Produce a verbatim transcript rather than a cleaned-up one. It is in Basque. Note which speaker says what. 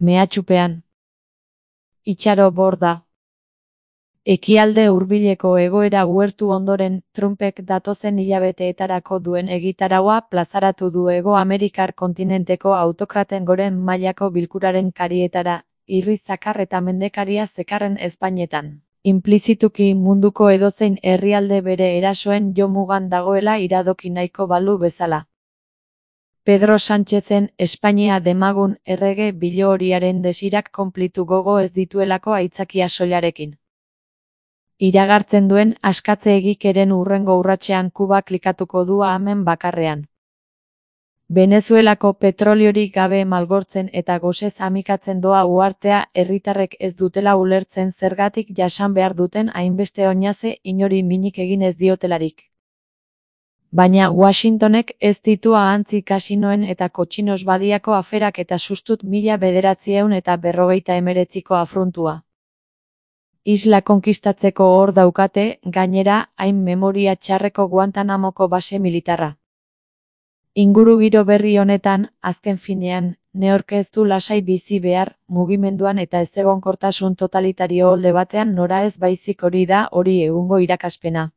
Speaker 1: Mehatxupean. Itxaro borda. Ekialde hurbileko egoera uhertu ondoren, Trumpek datozen hilabeteetarako duen egitaraua plazaratu du Hego Amerikar kontinenteko autokraten goren mailako bilkuraren karietara, irri zakar eta mendekaria zekarren ezpainetan. Inplizituki munduko edozein herrialde bere erasoen jomugan dagoela iradoki nahiko balu bezala. Pedro Sánchezen Espainia demagun errege bilohoriaren desirak konplitu gogo ez dituelako aitzakia soilarekin. Iragartzen duen askatze egikeren hurrengo urratsean Kuba klikatuko du amen bakarrean. Venezuelako petroliorik gabe malgortzen eta gosez amikatzen doa uhartea herritarrek ez dutela ulertzen zergatik jasan behar duten hainbeste oinaze inori minik egin ez diotelarik. Baina Washingtonek ez ditu ahantzi kasinoen eta kotxinos badiako aferak eta sustut mila bederatziehun eta berrogeita hemeretziko afrontua. Isla konkistatzeko hor daukate, gainera, hain memoria txarreko Guantanamoko base militarra. Ingurugiro berri honetan, azken finean, neork ez du lasai bizi behar, mugimenduan eta ezegonkortasun totalitario olde batean nora ez baizik hori da hori egungo irakaspena.